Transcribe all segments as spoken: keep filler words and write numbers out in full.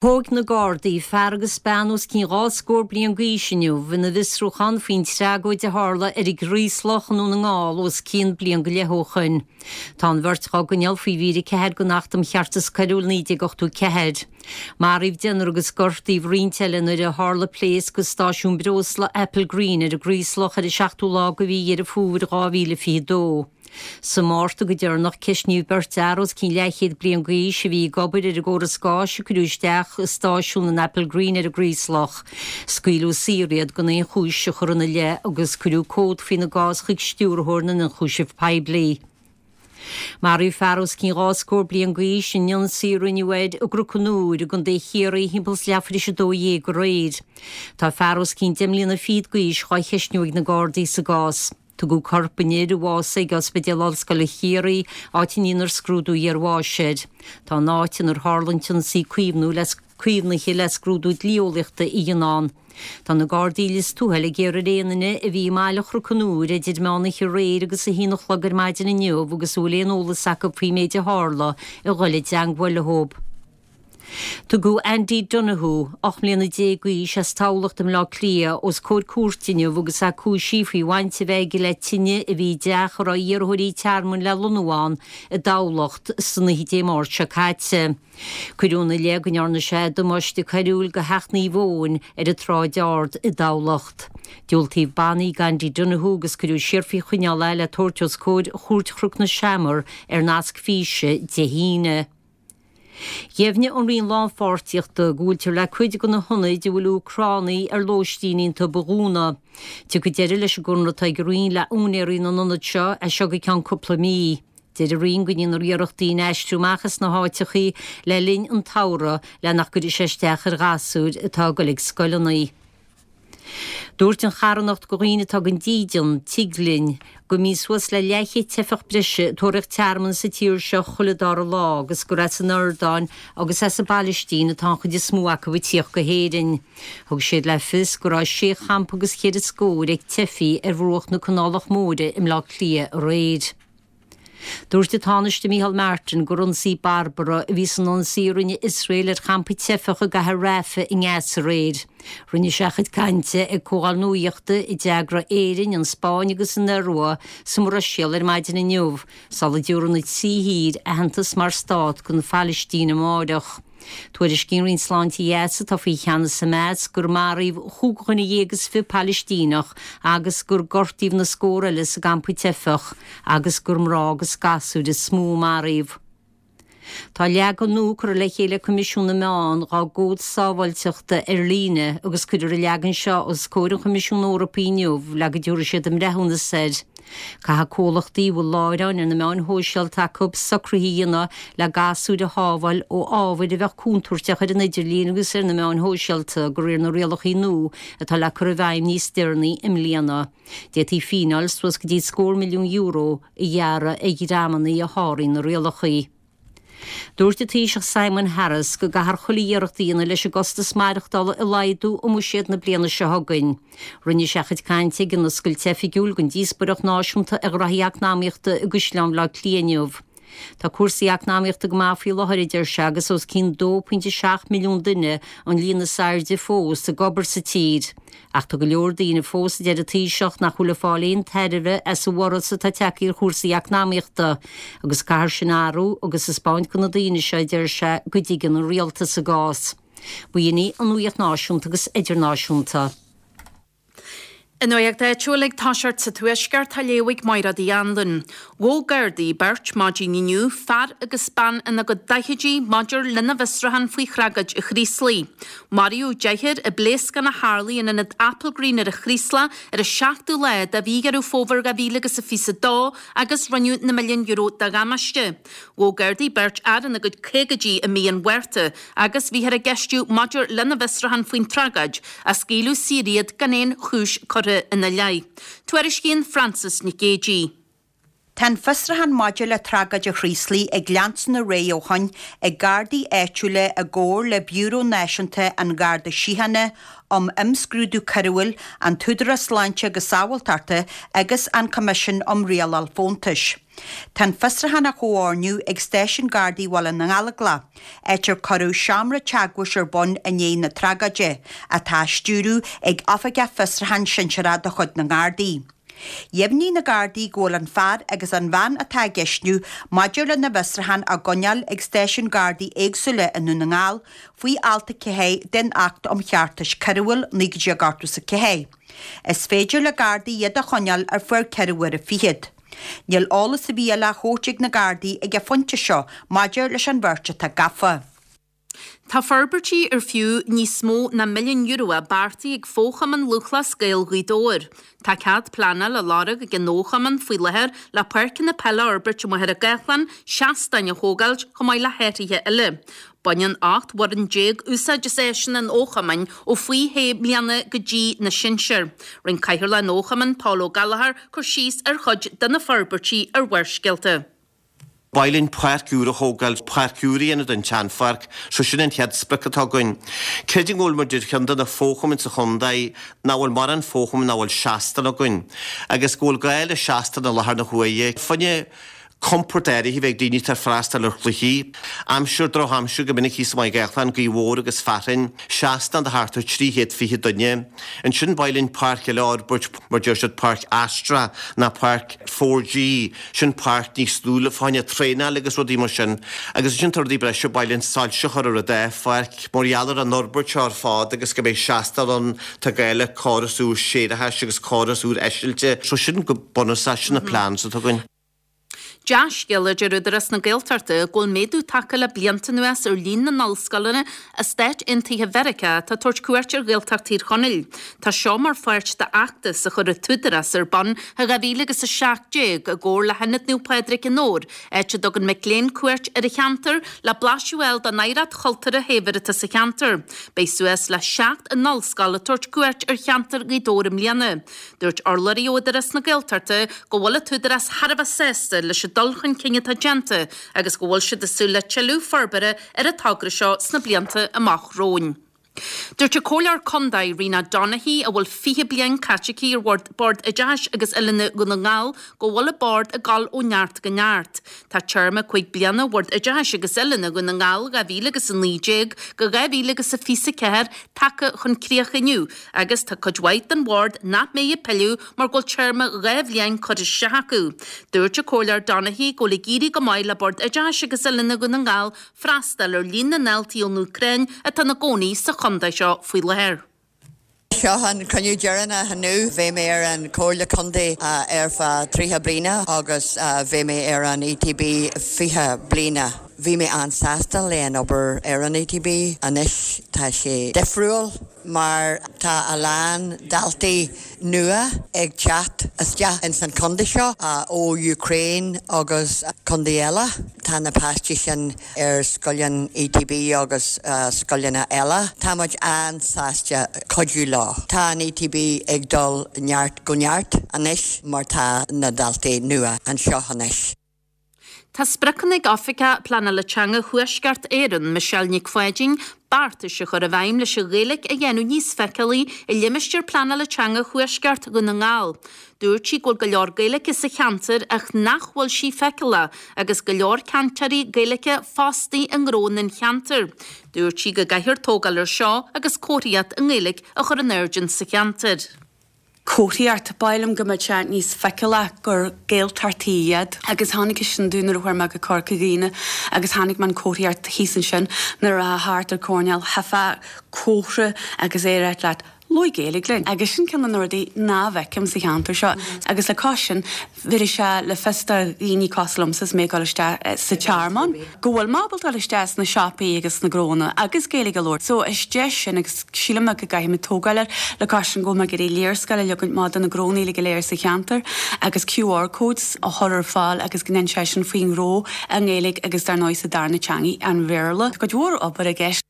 Thóg na Gardaí fear agus bean os cionn dhá scór bliain d'aois inniu ina bhfiosrúchán faoin tragóid a tharla ar an gCraoslach i nDún na nGall os cionn bliain go leith ó shoin. Tá an bheirt á gcoinneáil faoi mhír a ceathair den Acht um Cheartas Coiriúil naoi déag ochtó ceathair. Maraíodh deichniúr agus gortaíodh roinnt eile nuair a tharla pléasc i stáisiún breosla Applegreen ar an gCraoslach ar an seachtú lá de mhí Dheireadh Fómhair dhá mhíle fiche dó. Sa Mhárta go deireanach ceistníodh beirt fhear os cionn leathchéad bliain d'aois a bhí ag obair ar an gcóras gáis a cuireadh isteach i stáisiún an Applegreen ar an gCraoslach. Scaoileadh saor iad gan aon chúis a chur ina leith agus cuireadh comhad faoina gcás chuig stiúrthóir na n-ionchúiseamh poiblí. Maraíodh fear os cionn dhá scór bliain d'aois in ionsaí a rinneadh air i gCnoc an Iúir i gContae Chiarraí thimpeall is leathuair tar éis a dó dhéag aréir. Tá fear os cionn deich mbliana fichead d'aois dhá cheistniú ag na Gardaí sa gcás. Tugadh corp an fhir a bhásaigh ag Ospidéal Ollscoile Chiarraí, áit a ndéanfar scrúdú iarbháis air. Tá an áit inar tharla an t-ionsaí caomhnú le caomhnaithe le scrúdú dlí-eolaíochta a dhéanamh ann. Tá na Gardaí i Lios Tuathail ag iarraidh ar aon duine a bhí i mbaile Chnoc an Iúir idir meán oíche aréir agus a haon a chlog ar maidin inniu agus a bhfuil aon eolas acu faoin méid a tharla a dhul i dteangmháil leo. Tugadh Andy Donoghue, ocht mbliana déag d'aois as Tamhlacht i mBleá Cliath, os comhair cúirte inniu agus é cúisithe faoi bhaint a bheith aige le tine a bhí i dteach a raibh iarrthóirí tearmainn le lonnú ann i dTamhlacht san oíche Dé Máirt seo caite. Cuireadh ina leith go ndearna sé damáiste coiriúil do theach Naomh Eoin ar an tSráid Ard i dTamhlacht. Diúltaíodh bannaí d'Andy Donoghue agus cuireadh siar faoi choinneáil é le tabhairt os comhair Chúirt Chnoc na Seamar ar nasc físe Dé hAoine. Dheimhnigh an Roinn Lánpháirtíochta go bhfuiltear le cuid de na hionaid a bhfuil Úcránaigh ar lóistín iontu a dhúnadh. Tiocfaidh deireadh leis an gconradh atá ag an Roinn le úinéirí na n-ionad seo as seo go ceann cúpla mí. Deir an Roinn go ndéanfar iarracht daoine a aistriú amach as na háiteachaí le linn an tsamhraidh le nach gcuirfidh sé isteach ar ghasúir atá ag dul ag scoileanna. Dúirt an charthanacht do dhaoine atá gan dídean, Tig Linn, go mbíonn suas le leathchéad teifeach breise ag tóraíocht tearmainn sa tír seo chuile dara lá agus gur as an Iordáin agus as an bPailistín atá an chuid is mó acu ag tíocht go hÉirinn. Thug siad le fios go raibh sé champa agus ceithre scór ag teifigh ar bhruach na Canálach Móire i mBleá Cliath aréir. Dúirt an Tánaiste Micheál Martin gur ionsaí barbarach a bhí san ionsaí a rinne Iosrael ar champa teifeach i gcathair Rafah i nGaza aréir. Rinne sé a chuid cainte ag comhdháil nuachta a d'eagraigh Éirinn, an Spáinn agus an Iorua sa mBruiséil ar maidin inniu, sula dtabharfaidh na trí thír aitheantas mar stát don Phalaistín amárach. Tuairiscíonn Roinn Sláinte Ghaza atá faoi cheannas Hamas gur maraíodh chúig dhuine dhéag is fiche Palaistíneach agus gur gortaíodh na scór eile sa gcampa teifeach agus gur mná agus gasúir is mó a maraíodh. Tá leagan nua curtha le chéile ag Coimisiún na Meán dá gcód sábháilteachta ar líne agus cuirfear an leagan seo os comhair an Choimisiúin Eorpaigh inniu le go dtabharfaidh siad a mbreithiúnas air. Caithfidh comhlachtaí a bhfuil láithreáin ar na meáin shóisialta acu socruithe a dhéanamh le gasúir a shábháil ó ábhair a bheadh contúirteach ar an idirlíon agus ar na meáin shóisialta de réir na rialacha nua atá le cur i bhfeidhm níos deireanaí i mbliana. D'fhéadfaí fíneáil suas go dtí scór milliún euro a ghearradh ar dhreamanna a sháraíonn na rialacha. Dúirt an Taoiseach Simon Harris go gcaithfear chuile iarracht a dhéanamh leis an gcostas maireachtála a laghdú i mbuiséad na bliana seo chugainn. Rinne sé a chuid cainte ag an oscailt oifigiúil den díospóireacht náisiúnta ar ghraithí eacnamaíochta i gCaisleán Bhaile Átha Cliath inniu. Tá cúrsaí eacnamaíochta go maith faoi láthair, a deir sé, agus os cionn dó pointe seacht milliún duine an líon is airde fós ag obair sa tír. Ach tá go leor daoine fós, a deir an Taoiseach, nach bhfuil ag fáil aon tairbhe as an bhorradh atá tagtha ar chúrsaí eacnamaíochta, agus caithfear sin a athrú agus taispeáint do na daoine seo, a deir sé, go dtuigeann an rialtas a gcás. B'in í an nuacht náisiúnta agus idirnáisiúnta. An nuacht áitiúil ag toiseacht sa Tuaisceart á léamh ag Máire Uí Anluain. Ghabh Gardaí beirt maidin inniu, fear agus bean ina gcuid daichidí maidir lena bhfiosrúchán faoi thragóid an Chraoslaigh. Maraíodh deichniúr i bpléascán a tharlaigh in ionad Applegreen ar an Chraoslach ar an seachtú lá de mhí Dheireadh Fómhair dhá mhíle agus a fiche a dó agus rinneadh na milliúin euro de dhamáiste. Ghabh Gardaí beirt fhear ina gcuid caogaidí i mí an Mhárta agus bhíothar á gceistiú maidir lena bhfiosrúchán faoin tragóid ach scaoileadh saor iad gan aon chúis curtha ina leith. Tuairiscíonn Frances Nic Géadaigh. Tá an fiosrúchán maidir le tragóid an Chraoslaigh ag leanstan ar aghaidh ó shoin ag Gardaí áitiúla i gcomhar le Biúró Náisiúnta an Gharda Síochána um Imscrúdú Coiriúil, an tÚdarás Sláinte agus Sábháilteachta agus an Coimisiún um Rialáil Fóntais. Tá an fiosrúchán á chomhordú ag Stáisiún Gardaí Bhaile na nGallóglach, áit ar cuireadh seomra teagmhais ar bun i ndiaidh na tragóide, atá á stiúradh ag Oifigeach Fiosrúcháin Sinsearach de chuid na nGardaí. Dheimhnigh na Gardaí go bhfuil an fear agus an bhean atá á gceistiú maidir lena bhfiosrúchán á gcoinneáil ag stáisiúin Gardaí éagsúla i nDún na nGall faoi Alt a ceathair den Acht um Cheartas Coiriúil naoi déag ochtó is a ceathair. Is féidir le Gardaí iad a choinneáil ar feadh ceithre huaire fichead. Níl eolas ar bith eile á thabhairt ag na Gardaí ag an phointe seo maidir leis an bheirt atá gafa. Tá forbairtí ar fiú níos mó ná milliún euro beartaithe ag Fo-Chumann Lúthchleas Gael Ghaoth Dobhair. Tá cead pleanála á lorg ag an fho-chumann faoi láthair le páirceanna peile a fhorbairt i Machaire Gathlán, seastáin a thógáilt chomh maith le hathruithe eile. Baineann ocht bhfoireann déag úsáid as áiseanna an fho-chumainn ó faoi shé bliana go dtí na sinsir. Rinne Cathaoirleach an fho-chumainn Paul Ó Gallchóir cur síos ar chuid de na forbairtí ar Bharrscéalta. Ba mhaith linn páirc úr a thógáil, páirc úr a dhéanamh den tseanpháirc, so sin an chéad sprioc atá againn. Creidim go bhfuil muid ar cheann de na fo-chumainn sa chontae nach bhfuil mórán fo-chumann nach bhfuil seastán againn, agus go bhfuil gá le seastán i láthair na huaire. Fá choinne compord áirithe a bheith ag daoine atá ag freastal ar chluichí. Aimsir, drochaimsir go minic thíos i Maigh Gathlán, gaoth mhór agus fearthainn, seastán do thart ar trí chéad fiche duine. Ansin ba mhaith linn páirc eile a fhorbairt, mar deir siad páirc Astra ná páirc four G, sin páirc níos lú le fá choinne traenáil agus rudaí mar sin. Agus ansin tá rudaí breise, ba mhaith linn soilse a chur ar an dá pháirc mar gheall ar an fhorbairt seo ar fad agus go mbeidh seastán ann, tá gá le córas úr séarachais agus córas úr eisilte. So sin go bunúsach, sin na plans atá againn. Dea-scéala a deir Údarás na Gaeltachta go bhfuil méadú tagtha le blianta anuas ar líon na n-ollscoileanna as Stáit Aontaithe Mheiriceá atá ag tabhairt cuairt ar Ghaeltacht Thír Chonaill. Tá seo mar pháirt d'fheachtas a chuir an tÚdarás ar bun i dhá mhíle agus a seacht déag i gcomhar le hIonad Naomh Pádraig i nDobhar, áit a dtugann mic léinn cuairt ar an cheantar le blaiseadh a fháil den oidhreacht chultúrtha shaibhir atá sa cheantar. Beidh suas le seacht n-ollscoil ag tabhairt cuairt ar cheantar Ghaoth Dobhair i mbliana. Dúirt urlabhraí ó Údarás na Gaeltachta go bhfuil an tÚdarás thar a bheith sásta leis an dul chun cinn atá déanta agus go bhfuil siad ag súil le tuilleadh forbartha ar an togra seo sna blianta amach romhainn. Dúirt an Comhairleoir Contae Rena Donaghey, a bhfuil fiche bliain caite aici ar Bhord Bord Oideachais agus Oiliúna Dhún na nGall, go bhfuil an Bord ag dul ó neart go neart. Tá téarma cúig bliana Bhord Oideachais agus Oiliúna Dhún na nGall dhá mhíle agus a naoi déag go dhá mhíle agus a fiche a ceathair tagtha chun críocha inniu agus tá cuid mhaith den bhord nach mbeidh ag pilleadh mar go bhfuil téarma dhá bhliain curtha isteach acu. Dúirt an Comhairleoir Donaghey go bhfuil ag éirí go maith le Bord Oideachais agus Oiliúna Dhún na nGall freastal ar líon na ndaltaí ón Úcráin atá ina gcónaí sa chontae seo faoi láthair. Seo an cruinniú deireanach inniu. Bhí mé ar an Comhairle Contae ar feadh tríocha bliana agus bhí mé ar an E T B fiche bliana. Bhí mé an-sásta le an obair ar an E T B. Anois tá sé difriúil mar tá a lán daltaí nua ag teacht isteach ins an contae seo ó Ukraine agus contae eile. Tá na páistí sin ar scoileanna E T B agus scoileanna eile. Tá muid an-sásta cuidiú leo. Tá an E T B ag dul neart go neart anois mar tá na daltaí nua anseo anois. Tá spriocanna ag Oifigeach Pleanála Teanga Thuaisceart Éireann, Michelle Nic Pháidín, beartais a chur i bhfeidhm leis an Ghaeilge a dhéanamh níos feiceálaí i limistéar pleanála teanga Thuaisceart Dhún na nGall. Dúirt sí go bhfuil go leor Gaeilge sa cheantar ach nach bhfuil sí feiceálach agus go leor cainteoirí Gaeilge fostaithe i ngnónna an cheantair. Dúirt sí go gcaithfear tógáil ar seo agus comharthaíocht i nGaeilge a chur in airde sa cheantar. Comharthaíocht b'fhéidir go mbeadh sé níos feiceálaí gur Gaeltachtaí iad agus tháinig sin dúinn nuair a chuaigh mé go Corca Dhuibhne agus tháinig man comharthaíocht thíos ansin nuair a thart ar choirnéal hefa cóthra agus é leat labhair Gaeilge linn. Agus sin ceann de na rudaí nach bhfeicim sa cheantar seo. Agus le cois sin bhí sé le fios do dhaoine cosúil liomsa is mé ag dul isteach sa Tearmann. Go bhfuil mé ábalta dul isteach sna siopaí agus sna gnónna agus Gaeilge a labhairt. So is deis sin agus sílim go gcaithfidh muid tógáil air le cois sin go mbeidh léarscáil le leagan amach do na gnónna go léir sa cheantar agus Q R codes a chur ar fáil agus go ndéan sé sin faoin ngnó i nGaeilge agus dar ndóigh sa darna teanga an Bhéarla. Tá cuid mhór obair i gceist.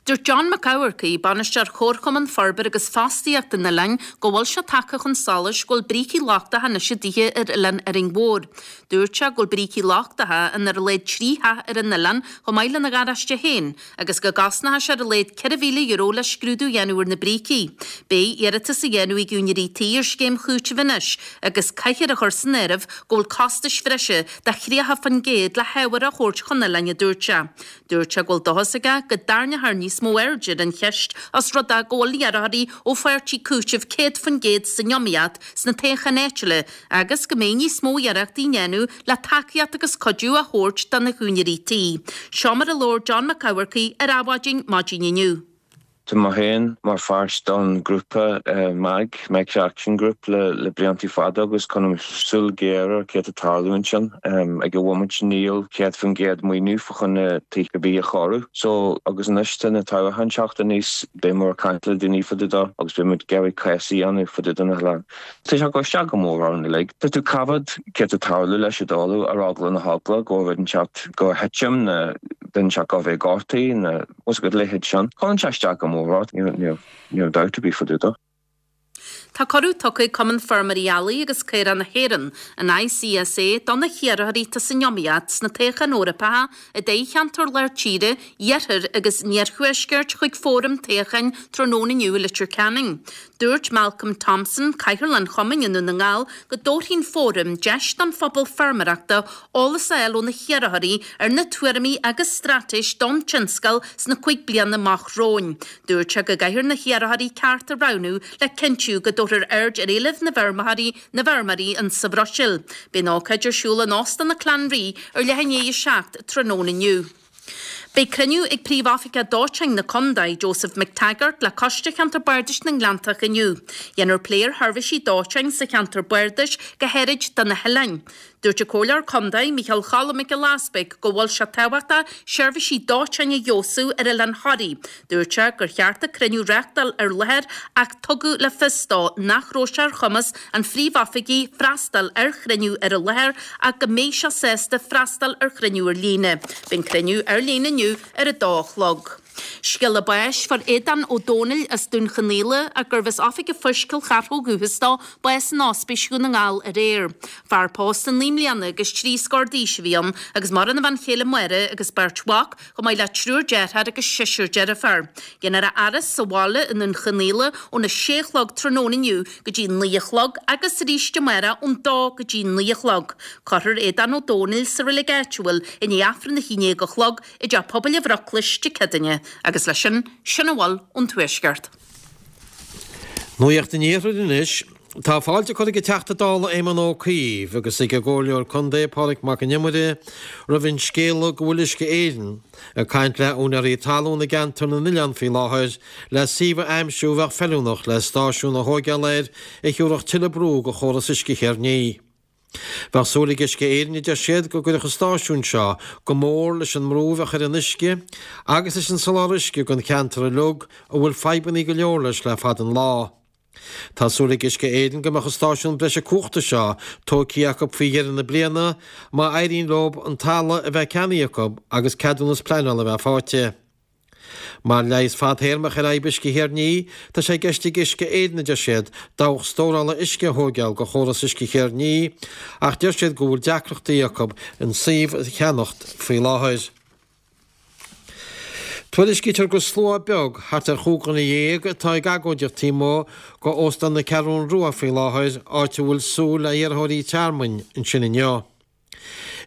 Dúirt John Mac Eamharcaigh, Bainisteoir Chomharchumann Forbartha agus Fostaíochta an oileáin, go bhfuil sé tagtha chun solais go bhfuil brící lochtacha anois i dtithe ar oileán Árainn Mhór. Dúirt sé go bhfuil brící lochtacha in ar a laghad trí theach ar an oileán chomh maith lena gharáiste féin agus go gcosnóidh sé ar a laghad ceithre mhíle euro le scrúdú a dhéanamh ar na brící. Beidh iarratas a dhéanamh ag úinéirí tí ar scéim chúitimh anois agus caithfear a chur san áireamh go bhfuil costais bhreise de thríocha faoin gcéad le hábhar a thabhairt chun oileáin, a dúirt sé. Dúirt sé go bhfuil dóchas aige go dtarraingeofar níos mó airde ar an cheist os rud é go bhfuil iarrthóirí ó pháirtí cúitimh céad faoin gcéad san iomaíocht sna toghcháin áitiúla agus go mbeidh níos mó iarrachtaí á ndéanamh le tacaíocht agus cuidiú a thabhairt do na húinéirí tí. Seo mar a labhair John Mac Eamharcaigh ar Adhmhaidin maidin inniu. Tá mé féin mar pháirt don grúpa MAG, Micro Action Group, le le bliantaí fada agus coinním súil ghéar ar céard atá ag tarlú ansin. Ag an bhomaite níl céad faoin gcéad maoiniú fá choinne tithe ar bith a chóiriú. So agus anois tá na toghcháin ag teacht aníos beidh muid ag caint le daoine fá dtaobh de agus beidh muid ag iarraidh cás a dhéanamh fá dtaobh de na hoileáin. Tá sé ag cur isteach go mór orainn uilig. Tá tú ag coimhéad céard atá ag tarlú leis an dtalamh ar eagla na heagla go bhfuil rud inteacht go thitim nó duine inteacht go bheith gortaithe nó bhfuil a leithéid sin. Cuireann sé isteach go mór ort, níl níl dabht ar bith fá dtaobh de. Tá cuireadh tugtha ag Cumann Feirmeoirí Eallaigh agus Caorach na hÉireann, an ICSA, do na hiarrthóirí atá san iomaíocht sna toghcháin Eorpacha i dtoghcheantar Lár Tíre, Iarthair agus an Iarthuaiscirt chuig fóram toghcháin tráthnóna inniu i Leitir Ceanainn. Dúirt Malcolm Thompson, Cathaoirleach an Chumainn i nDún na nGall, go dtabharfaidh an fóram deis don phobal feirmeoireachta eolas a fháil ó na hiarrthóirí ar na tuairimí agus straitéis don tionscal sna cúig bliana amach romhainn. Dúirt sé go gcaithfear na hiarrthóirí ceart a roghnú le cinntiú go dtabharfar aird ar éilimh na bhfeirmeoirí na bhfeirmeoirí in sa Bhruiséil. Beidh an ócáid ar siúl in Óstán na Clanree ar leath i ndiaidh a seacht tráthnóna inniu. Beidh cruinniú ag Príomh-Oifigeach Dóiteáin na Condae, Joseph McTaggart, le Coiste Cheantar Bardais na nGleanntach inniu. Dhéanfar plé ar sheirbhísí dóiteáin sa cheantar bardais, go háirid do na hoileáin. Dúirt an Comhairleoir Condae, Micheál Choilm Mac Giolla Easbuig, go bhfuil sé tábhachtach seirbhísí dóiteáin a fheabhsú ar Oileán Thoraí. Dúirt sé gur cheart an cruinniú a reáchtáil ar láthair ach tugadh le fios dó nach raibh sé ar chumas an phríomhoifigigh freastal ar chruinniú ar an láthair ach go mbeidh sé sásta freastal ar chruinniú ar líne. Beidh an cruinniú ar líne inniu ar a dó a chlog. Scéala báis fuair Aodán Ó Dónaill as Dún Chonaill ach gurbh as Oifig an Phoist Cill Chartha ó dhúchas dó, bás in Ospís Dhún na nGall aréir. Fear pósta naoi mbliana agus trí scór d'aois a bhí ann agus maireann a bhean chéile Máire agus beirt mhac, chomh maith le triúr deartháir agus seisear deirfiúr. Déanfar a fhaire sa bhaile i nDún Chonaill óna sé a chlog tráthnóna inniu go dtí naoi a chlog agus arís amárach ón dó go dtí naoi a chlog. Cuirfear Aodán Ó Dónaill sa reilig áitiúil i ndiaidh Aifreann a haon déag a chlog i dTeach Pobail an Bhruclais Dé Céadaoine agus leis sin, sin a bhfuil ón Tuaisceart. Nuacht an Iarthair anois. Tá fáilte curtha ag an Teachta Dála Éamon Ó Cuív agus ag an gComhairleoir Contae Pádraig Mac an Iomaire roimh an scéala go bhfuil Uisce Éireann ag caint le úinéirí talún i gceantar na n-oileán faoi láthair le suíomh a aimsiú a bheadh feiliúnach le stáisiún a thóigeáil air a thiúrfadh tuilleadh brú go chóras uisce Chearnaí. Bheadh súil ag Uisce Éireann, a deir siad, go gcuirfeadh an stáisiún seo go mór leis an mbrú a bheadh ar an uisce agus leis an soláthar uisce don cheantar uilig a bhfuil fadhbanna go leor leis le fada an lá. Tá súil ag Uisce Éireann go mbeadh an stáisiún breise cumhachta seo tógtha acu faoi dheireadh na bliana má éiríonn leo an talamh a bheith ceannaithe acu agus ceadúnas pleanála a bheith faighte. Mar leigheas fadthéarmach ar fhadhb uisce Chearnaí, tá sé i gceist ag Uisce Éireann, a deir siad, dabhach stórála uisce a thóigeáil go chóras uisce Chearnaí, ach deir siad go bhfuil deacrachtaí acu an suíomh a cheannacht faoi láthair. Tuairiscítear gur slua beag, thart ar chúig dhuine dhéag, atá ag agóidíocht taobh amuigh go Óstán na Ceathrún Rua faoi láthair, áit a bhfuil súil le hiarrthóirí tearmainn ansin inniu.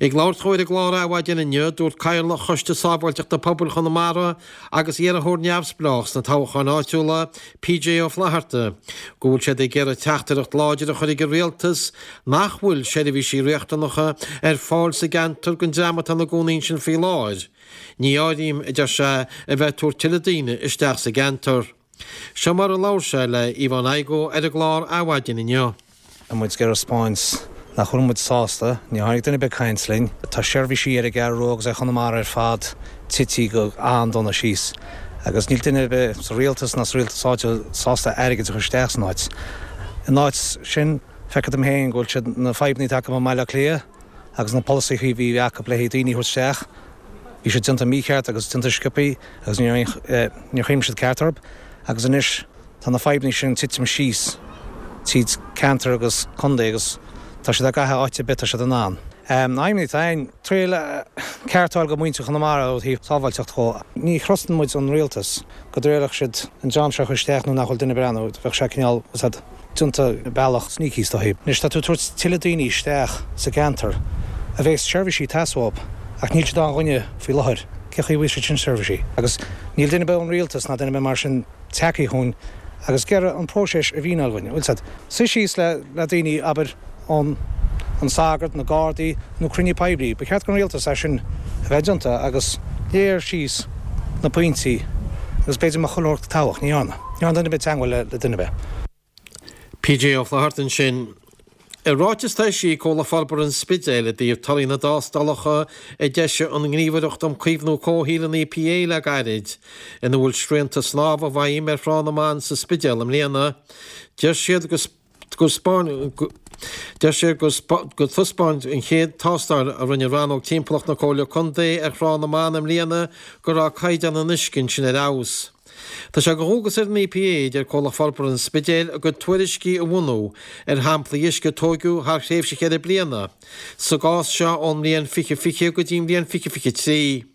Ag labhairt dhó ar an gclár Adhmhaidin inniu, dúirt Cathaoirleach Choiste Sábháilteachta Pobail Chonamara agus iarrthóir neamhspleách sna toghcháin áitiúla, PJ Ó Flatharta, go bhfuil siad ag iarraidh teachtaireacht láidir a chur ag an rialtas nach bhfuil seirbhísí riachtanacha ar fáil sa gceantar don dream atá ina gcónaí ansin faoi láthair. Ní áirím, a deir sé, a bheith ag tabhairt tuilleadh daoine isteach sa gceantar. Seo mar a labhair sé le Yvonne Igoe ar an gclár Adhmhaidin inniu. Tá muid ag iarraidh a 'spáint nach bhfuil muid sásta, níor tháinig duine ar bith ag caint linn. Tá seirbhísí ar an gCeathrú Rua agus ar Chonamara ar fad tití go an-dona síos agus níl duine ar bith sa rialtas ná sa rialtas áitiúil sásta airgead a chur isteach san áit. In áit sin, feictear dom féin go bhfuil siad na fadhbanna atá acu i mBaile Átha Cliath agus na polasaithe a bhí acu le haghaidh daoine a thabhairt isteach, Bhí siad déanta mícheart agus déanta sciobtha agus níor níor chuimhnigh siad ceart orthu agus anois tá na fadhbanna sin titim síos tríd ceantar agus contae agus tá siad ag gach áit ar bith tá siad in ann. Aidhmeanna atá ann triail ceart a fháil go muintir Chonamara ó thaobh sábháilteacht dhó. Ní thrustan muid an rialtas go dtriailfeadh siad an dream seo a chur isteach nó nach bhfuil duine breathnú, bheadh sé cineál déanta bealach sneaky is dóigh. Anois tá tú ag tabhairt tuilleadh daoine isteach sa gceantar a bheas seirbhísí ag teastáil uathu ach níl siad á dhuine faoi láthair. Cé chaoi a bhfuil siad sin seirbhísí? Agus níl duine ar bith ón rialtas ná duine ar bith mar sin tagtha chugainn agus ag iarraidh an próiseas a mhíniú dhúinn. Bhfuil siad suí síos le le daoine abair ón an sagart, na Gardaí nó cruinniú poiblí. Ba cheart don rialtas é sin a bheith déanta agus léir síos na pointí agus b'fhéidir mo cholóir toghach, ní dhearna. Ní dhearna duine ar bith teagmháil le le duine ar bith. PJ Ó Flatharta ansin. I ráiteas a d'eisigh Comhlacht Forbartha an Spidéil i dtaobh torthaí na dtástálacha a d'eisigh an Ghníomhaireacht um Caomhnú Comhshaoil an EPA le gairid, ina bhfuil srianta snámha i bhfeidhm ar Thrá na mBan sa Spidéal i mbliana, deir siad go Deir siad gur thaispeáin an chéad tástáil a rinne Rannóg Timpeallachta na Comhairle Contae ar Thrá na mBan i mbliana go raibh caighdeán an uisce ansin ar fheabhas. Tá sé de dhualgas ar an EPA, a deir Comhlacht Forbartha an Spidéil, a gcuid tuairiscí a bhunú ar shamplaí uisce a tóigeadh thar thréimhse cheithre bliana, sa gcás seo ón mbliain fiche fiche go dtí an bhliain fiche fiche trí.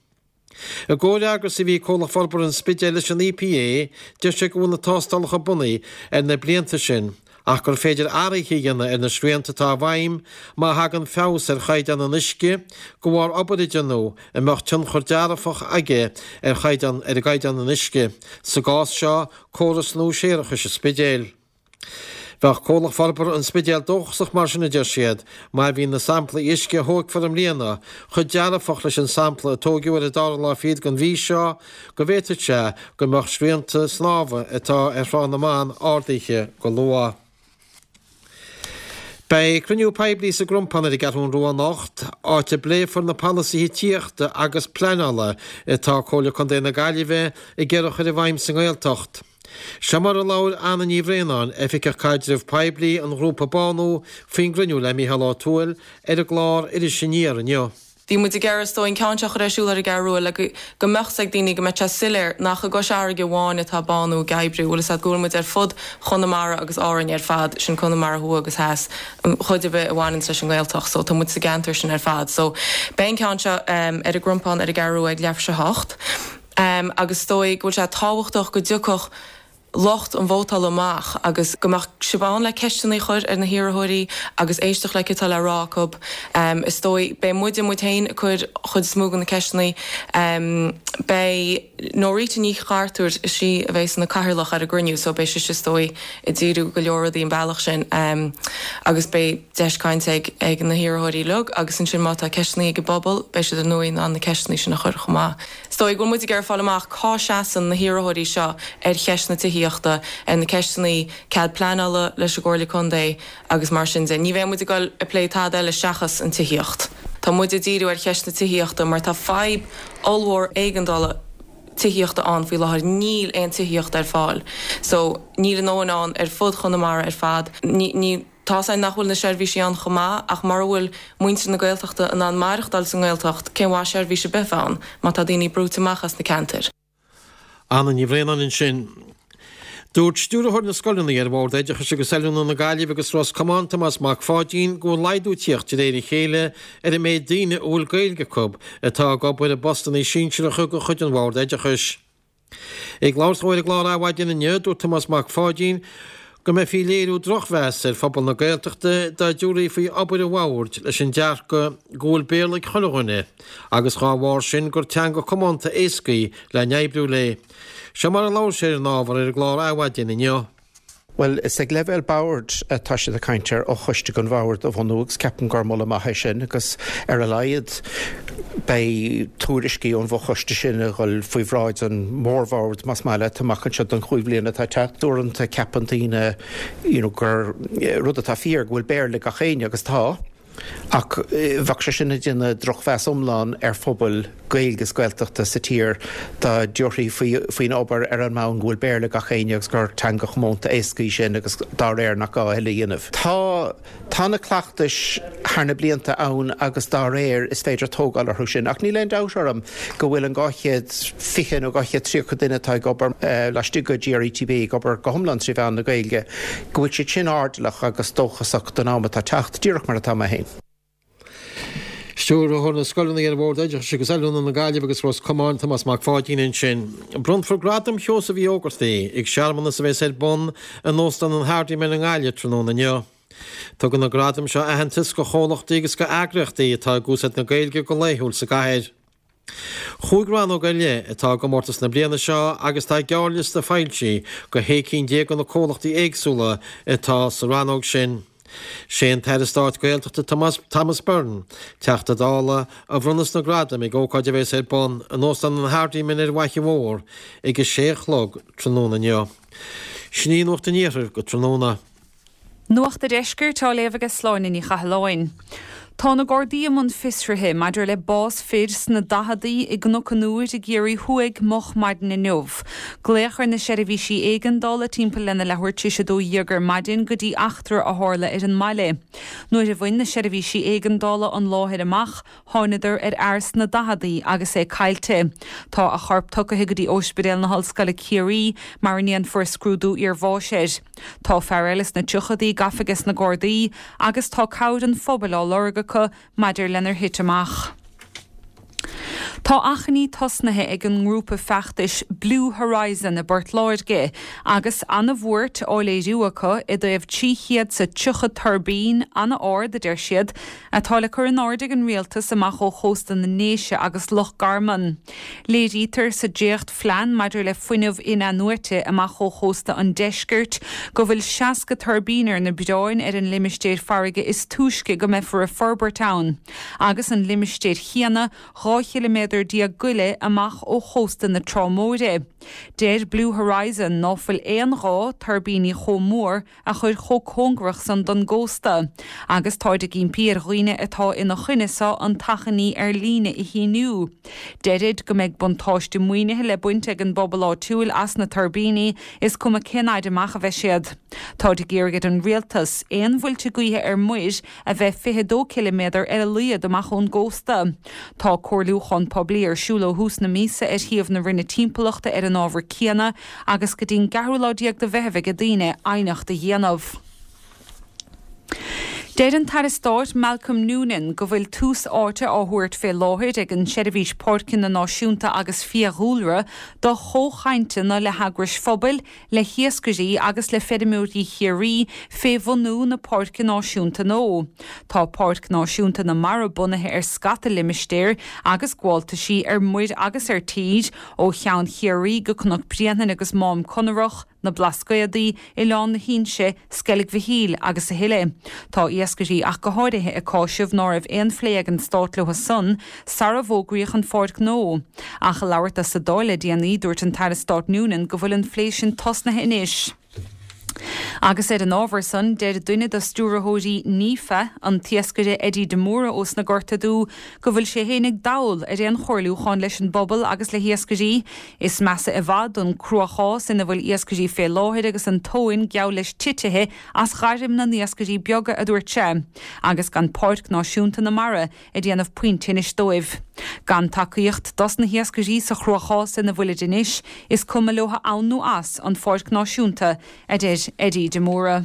I gcomhfhreagras a bhí ag Comhlacht Forbartha an Spidéil leis an EPA, deir sé go bhfuil na tástálacha bunaithe ar na blianta sin ach gur féidir athruithe a dhéanamh ar na srianta atá i bhfeidhm má thagann feabhas ar chaighdeán an uisce de bharr obair a déanadh a mbeadh tionchar dearfach aige ar chaighdeán ar gcaighdeán an uisce, sa gcás seo, córas nua séarachais an Spidéil. Bheadh Comhlacht Forbartha an Spidéil dóchasach mar sin, a deir siad, má bhíonn na samplaí uisce a thógfar i mbliana chomh dearfach leis an sampla a tóigeadh ar an dara lá fichead den mhí seo, go bhféadfadh sé go mbeadh srianta snámha atá ar Thrá na mBan ardaithe go luath. Beidh cruinniú poiblí sa gCrompán ar an gCeathrú Rua anocht, áit a bpléifear na polasaithe tithíochta agus pleanála atá Comhairle Contae na Gaillimhe ag iarraidh a chur i bhfeidhm sa nGaeltacht. Seo mar a labhair Anna Ní Bhraonáin, Oifigeach Caidrimh Poiblí an ghrúpa Bánú, faoin gcruinniú le Mícheál Ó Tuathail ar an gclár Iris Aniar inniu. Bhí muid ag iarraidh is dóigh an ceann seo a chur ar siúl ar an gCeathrú Rua le go go mbeadh 's ag daoine go mbeadh sé soiléir nach i gCois Fharraige amháin atá Bánú ag oibriú, bhfuil 'fhios a'd go bhfuil muid ar fud Chonamara agus Árainn ar fad, sin Conamara thuaidh agus theas, an chuid ar bith a bhaineanns leis an nGaeltacht so tá muid sa gceantar sin ar fad. So beidh an ceann seo ar an gCrompán ar an gCeathrú Rua ag leathuair tar éis a hocht. Agus is dóigh go bhfuil sé tábhachtach go dtiocfadh lucht an vótála amach agus go mbeadh sibh ann le ceisteanna a chur ar na hiarrthóirí agus éisteacht le céard atá le rá acu. Is dóigh, beidh muide muid féin ag cur chuid is mó de na ceisteanna. Beidh Norita Ní Chartúir, is í a bheas ina cathaoirleach ar an gcruinniú so beidh sise is dóigh ag díriú go leor rudaí an bealach sin agus beidh deis cainte ag ag na hiarrthóirí uilig agus ansin má tá ceisteanna ag an bpobal beidh siad ar ndóigh in ann na ceisteanna sin a chur chomh maith. Is dóigh go bhfuil muid ag iarraidh fáil amach cá seasann na hiarrthóirí seo ar cheist na tithíochta, ar na ceisteanna cead pleanála leis an gComhairle Contae agus mar sin de. Ní bheidh muid ag dul ag plé tada eile seachas an tithíocht. Tá muid ag díriú ar cheist na tithíochta mar tá fadhb ollmhór éigeandála tithíochta ann faoi láthair. Níl aon tithíocht ar fáil. So, níl a ndóthain ann ar fud Chonamara ar fad. Ní, ní. Tá's againn nach bhfuil na seirbhísí ann chomh maith ach mura bhfuil muintir na Gaeltachta in ann maireachtáil sa nGaeltacht, cén mhaith seirbhís ar bith a bheith ann má tá daoine brúite amach as na ceantair? Anna Ní Bhraonáin ansin. Dúirt Stiúrthóir na Scoileanna ar Bhord Oideachais agus Oiliúna na Gaillimhe agus Ros Comáin, Tomás Mac Pháidín, go bhfuil laghdú ag tíocht de réir a chéile ar an méid daoine a bhfuil Gaeilge acu atá ag obair i bpostanna sinsearacha de chuid an Bhoird Oideachais. Ag labhairt dó ar an gclár Adhmhaidin inniu, dúirt Tomás Mac Pháidín go mbeifí ag léiriú drochmheas ar phobal na Gaeltachta dá dtabharfaí faoi obair an bhoird leis an dearcadh go bhfuil Béarla ag chuile dhuine agus dhá bharr sin gur teanga comónta éasca í le n-oibriú léi. Seo mar a labhair sé ar an ábhar ar an gclár Adhmhaidin inniu. Bhuel, is ag leibhéal boird atá siad ag caint ar fhochoiste den bhord a bhunú agus ceapaim gur moladh maith é sin agus ar a laghad beidh tuairiscí ón bhfochoiste sin ag dhul faoi bhráid an mhórbhoird más maith leat amach anseo don chúig bhliana atá ag teacht. Uaireanta ceapann daoine you know gur rud atá fíor go bhfuil Béarla ag gach éinne agus tá. Ach bheadh sé sin ag déanamh drochmheas iomlán ar phobal Gaeilge is Gaeltachta sa tír dá dtabharfaí faoin obair ar an mbonn go bhfuil Béarla gach éinne agus gur teanga chomónta éasca í sin agus dá réir nach gá a thuilleadh a dhéanamh. Tá tá na cleachtais thar na blianta ann agus dá réir is féidir tógáil orthu sin, ach níl aon dabht orm go bhfuil an dhá chéad fiche nó dhá chéad tríocha duine atá ag obair laistigh de GRETB ag obair go hiomlán trí mheán na Gaeilge, go bhfuil siad sin airdeallach agus dóchasach don am atá teacht, díreach mar atá mé féin. Stiúrthóir na Scoileanna ar Bhord Oideachais agus Oiliúna na Gaillimhe agus Ros Comáin, Tomás Mac Pháidín ansin. Bronnfar Gradam Sheosaimh Uí Ógartaigh ag searmanas a bheas ar bun in Óstán an Hardiman i nGaillimh tráthnóna inniu. Tugann na gradaim seo aitheantas do chomhlachtaí agus do eagraíochtaí atá ag úsáid na Gaeilge go laethúil sa gcathair. Chúig rannóg ar leith atá i gcomórtas na bliana seo agus tá gearrliosta foilsithe do shé cinn déag de na comhlachtaí éagsúla atá sa rannóg sin. Sé an tAire Stáit Gaeltachta Thomas Byrne, Teachta Dála, a bhronnfas na gradaim ag ócáid a bheas ar bun in Óstán an Hardiman ar an bhFaiche Mhór ag a sé a chlog tráthnóna inniu. Sin í Nuacht an Iarthair go tráthnóna. Nuacht a' Deiscirt á léamh aige Sláine Ní Chathalláin. Tá na Gardaí i mbun fiosraithe maidir le bás fir sna daicheadaí i gCnoc an Iúir i gCiarraí Thuaidh moch maidin inniu. Glaodh ar na seirbhísí éigeandála timpeall lena leathuair tar éis a dó dhéag ar maidin go dtí eachtra a tharla ar an mbaile. Nuair a bhain na seirbhísí éigeandála an láthair amach, thánadar ar fhear sna daicheadaí agus é caillte. Tá a chorp tugtha go dtí Ospidéal na hOllscoile Ciarraí mar a ndéanfar scrúdú iarbháis air. Tá fear eile sna tríochaidí gafa aige na Gardaí agus tá cabhair an phobail á lorg acu maidir lenar thit amach. Tá achainí tosnaithe ag an ngrúpa feachtais Blue Horizon i bPort Láirge agus an-bhuairt á léiriú acu i dtaobh trí chéad is tríocha tuirbín an-ard a deir siad atá le cur in airde ag an rialtas amach ó chósta na nDéise agus Loch Garman. Léirítear sa dréachtphlean maidir le fuinneamh in-athnuaite amach ó chósta an deiscirt go bhfuil seasca tuirbín ar na bioráin ar an limistéar farraige is túisce go mbeifear ag forbairt ann, agus an limistéar chéanna dhá chiliméadar déag go leith amach ó chósta na Trá Móire. Deir Blue Horizon ná fuil aon ghá tuirbíní chomh mór a chur chomh cóngarach san don gcósta, agus táid ag impí ar dhaoine atá ina choinne seo an t-achainí ar líne a shíniú. Deirid go mbeidh buntáiste maoinithe le baint ag an bpobal áitiúil as na tuirbíní, is cuma cén fhaid amach a bheidh siad. Táid ag iarraidh ar an rialtas aon mhuilte gaoithe ar muir a bheith fiche dó ciliméadar ar a laghad amach ón gcósta. Tá comhairliúchán poiblí ar siúl ó thús na míosa ar shuíomh na Roinne Timpeallachta ar an ábhar céanna agus go dtí'n gceathrú lá déag de Mheitheamh ag daoine aighneacht a dhéanamh. Deir an tAire Stáit Malcolm Noonan go bhfuil tús áite á thabhairt fé láthair ag an Seirbhís Páirceanna Náisiúnta agus Fiadhúlra do chomhchainteanna le heagrais phobail, le hiascairí agus le feirmeoirí Chiarraí fé bhunú na Páirce Náisiúnta nua. Tá Páirc Náisiúnta na Mara bunaithe ar scata limistéar agus gabháltaisí ar muir agus ar tír, ó Cheann Chiarraí go Cnoc Bréanainn agus Mám Conarach, na Blascaodaí, Oileán na hInse, Sceilg Mhichíl agus a thuilleadh. Tá iascairí ach go háirithe ag cáiseamh ná raibh aon phlé ag an Stát leo san sara bhfógraíodh an pháirc nua. Ach ag labhairt dó sa Dáil le déanaí, dúirt an tAire Stáit Noonan go bhfuil an phlé sin tosnaithe anois. Agus ar an ábhar san, deir duine de stiúrthóirí NIFA, an t-iascaire Eddie de Mórdha ós na Gorta Dubha, go bhfuil sé féin ag dall ar aon chomhairliúchán leis an bpobal agus le hiascairí. Is measa i bhfad an cruachás ina bhfuil iascairí fé láthair agus an tóin geall leis titithe as gairm na n-iascairí beaga, a dúirt sé, agus gan Páirc Náisiúnta na Mara ag déanamh puinn tinnis dóibh. Gan tacaíocht dos na hiascairí sa chruachás ina bhfuilid anois, is cuma leo ann nó as an Pháirc Náisiúnta, a deir Eddie de Mórdha.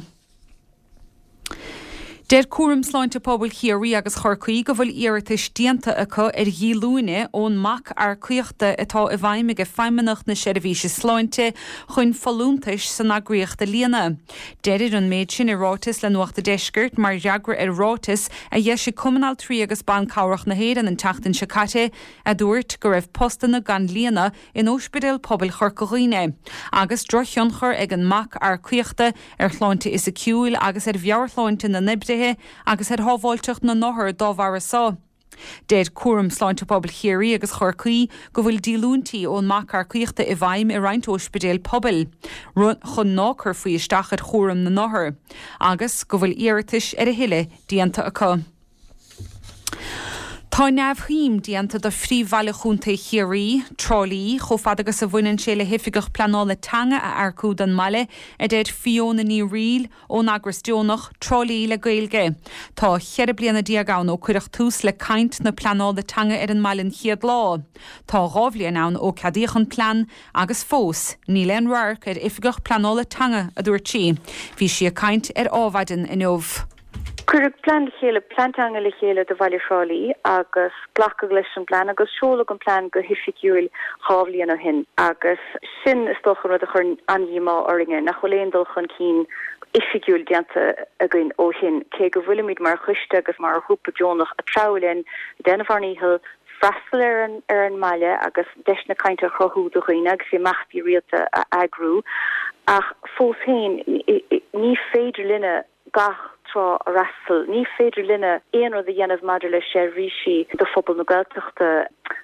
Deir Cúram Sláinte Pobail Chiarraí agus Chorcaí go bhfuil iarratais déanta acu ar dhíolúine ón mbac earcaíochta atá i bhfeidhm ag Feidhmeannacht na Seirbhíse Sláinte chun folúntais san eagraíocht a líonadh. Deirid an méid sin i ráiteas le Nuacht a' Deiscirt mar fhreagra ar ráiteas a d'eisigh Cumann Altraí agus Ban Cabhrach na hÉireann an tseachtain seo caite a dúirt go raibh postanna gan líonadh in Ospidéal Pobail Chorca Dhuibhne agus drochthionchar ag an mbac earcaíochta ar shláinte fhisiciúil agus ar mheabhairshláinte na n-oibrithe agus ar shábháilteacht na n-othar dá bharra so. Deir Cúram Sláinte Pobail Chiarraí agus Chorcaí go bhfuil díolúintí ón mbac earcaíochta i bhfeidhm i roinnt ospidéal pobail, chun ná cuirfí isteach ar chúram na n-othar, agus go bhfuil iarratais ar a thuilleadh déanta acu. Tá neamhshuim déanta de phríomhbhaile Chontae Chiarraí, Trá Lí, chomh fada agus a bhaineann sé le hoifigeach pleanála teanga a earcú don mbaile, a deir Fiona Ní Fhrighil ón eagras deonach Trá Lí le Gaeilge. Tá cheithre bliana déag ann ó cuireadh tús le caint na pleanála teanga ar an mbaile an chéad lá. Tá dhá bhliain ann ó ceadaíodh an plean agus fós níl aon radharc ar oifigeach pleanála teanga, a dúirt sí. Bhí sí ag caint ar Adhmhaidin inniu. Cuireadh plean le chéile, plean teanga le chéile do bhaile Thrá Lí agus glacadh leis an bplean agus seoladh an plean go hoifigiúil dhá bhliain ó shin agus sin is dócha an rud a chuireann an-díomá orainne nach bhfuil aon dul chun cinn oifigiúil déanta againn ó shin, cé go bhfuilimid mar choiste agus mar ghrúpa deonach ag treabhadh linn, ag déanamh ár ndícheall freastal ar an ar an mbaile agus deiseanna cainte a chruthú do dhaoine agus imeachtaí rialta a eagrú ach fós féin ní féidir linne gach trá a fhreastal. Ní féidir linne aon rud a dhéanamh maidir le seirbhísí do phobal na Gaeltachta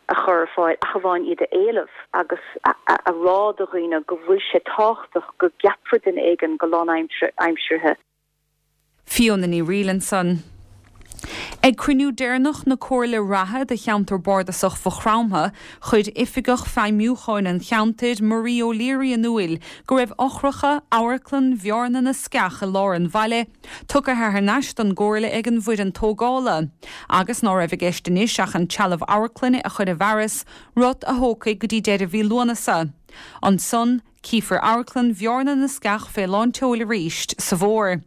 a chur ar fáil ach amháin iad a éileamh agus a rá do dhaoine go bhfuil sé tábhachtach go gceapfar duine éigin go lánaimseartha. Fiona Ní Fhrighil ansan. Ag cruinniú deireanach na Comhairle reatha do cheantar bardasach Mhaigh Chromtha, chuir Oifigeach Feidhmiúcháin an cheantair, Marie O'Leary in iúil go raibh eochracha Amharclann Bhearna na Sceach i lár an bhaile tugtha thar n-ais don gComhairle ag an bhfoireann tógála, agus ná raibh i gceist anois ach an trealamh amharclainne a chur i bhfearas, rud a thógfaidh go dtí deireadh mhí Lúnasa. Ansan, Cífear Amharclann Bhearna na Sceach fé lán tseoil arís sa bhfómhar.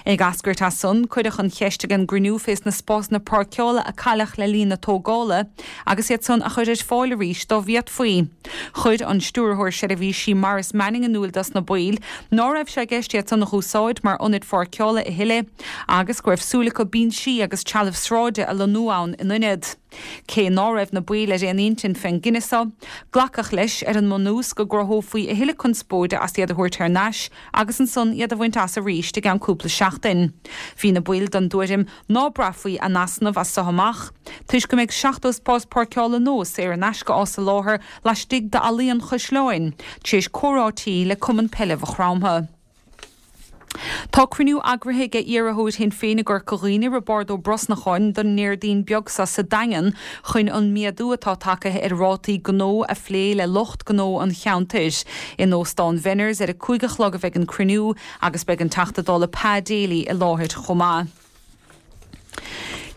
Ag eascairt as san, cuireadh an cheist ag an gcruinniú fés na spásanna páirceála a cailleadh le linn na tógála agus iad san a chur ar fáil arís dá bhféadfaí. Chuir an Stiúrthóir Seirbhísí Maurice Manning in iúl dos na baill ná raibh sé i gceist iad san a dh'úsáid mar ionaid pháirceála a thuilleadh agus go raibh súil acu binsí agus trealamh sráide a lonnú ann in ionad. Cé ná raibh na baill ar aon intinn fén gcinneadh so, glacadh leis ar an mbunús go gcruthófaí a thuilleadh conspóide as iad a thabhairt thar n-ais agus ansan iad a bhaint as arís i gceann cúpla seachtain. Bhí na baill den dtuairim ná braithfí a n-easnamh as so amach, toisc go mbeidh seachtó spás páirceála nua saor in aisce á soláthar laistigh d'Fhallaí an Chaisleáin, tar éis comhráití le Cumann Peile Mhaigh Chromtha. Tá cruinniú eagraithe ag iarrthóir Shinn Féin i gCorca Dhuibhne, Roibeárd Ó Brosnacháin, don nDéardaoin beag seo sa Daingean chun an méadú atá tagtha ar rátaí gnó a phlé le lucht gnó an cheantair. In Óstán Venners ar a cúig a chlog a bheidh an cruinniú agus beidh an Teachta Dála Pa Daly i láthair chomh maith.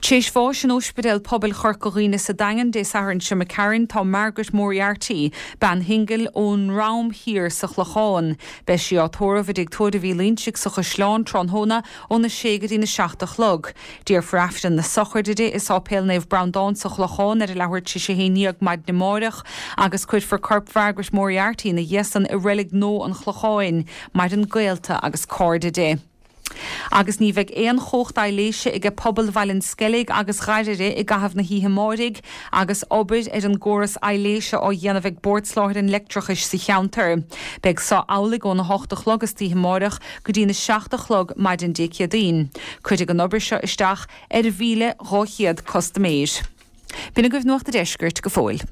Tréis bháis in Ospidéal Pobail Chorca Dhuibhne sa Daingean Dé Sathairn seo imigh tharainn tá Margaret Moriarty, bean shingil ón nDroim Thiar sa Chlochán. Beidh sí á tórramh i dTigh Tórraimh Uí Loingsigh sa Chaisleán tráthnóna óna sé go dtína seacht a chlog. Déarfar Aifreann na sochraide di i Sáipéal Naomh Breandán sa Chlochán ar a leathuair tar éis a haon déag maidin amáireach agus cuirfear corp Mhargaret Moriarty ina dhiaidh san i Reilig Nua an Chlocháin. Maireann gaolta agus cairde di. Agus ní bheidh aon chumhacht aibhléise aige pobal Bhaile an Sceilg agus Ghairire i gcaitheamh na hoíche amáirigh agus obair ar an gcóras aibhléise á dhéanamh ag Bord Soláthair an Leictreachais sa cheantar. Beidh so amhlaidh óna hocht a chlog istoíche amáireach go dtína seacht a chlog maidin Dé Céadaoin. Cuirfidh an obair seo isteach ar mhíle dhá chéad custaiméir. B'in agaibh Nuacht a' Deiscirt go fóill.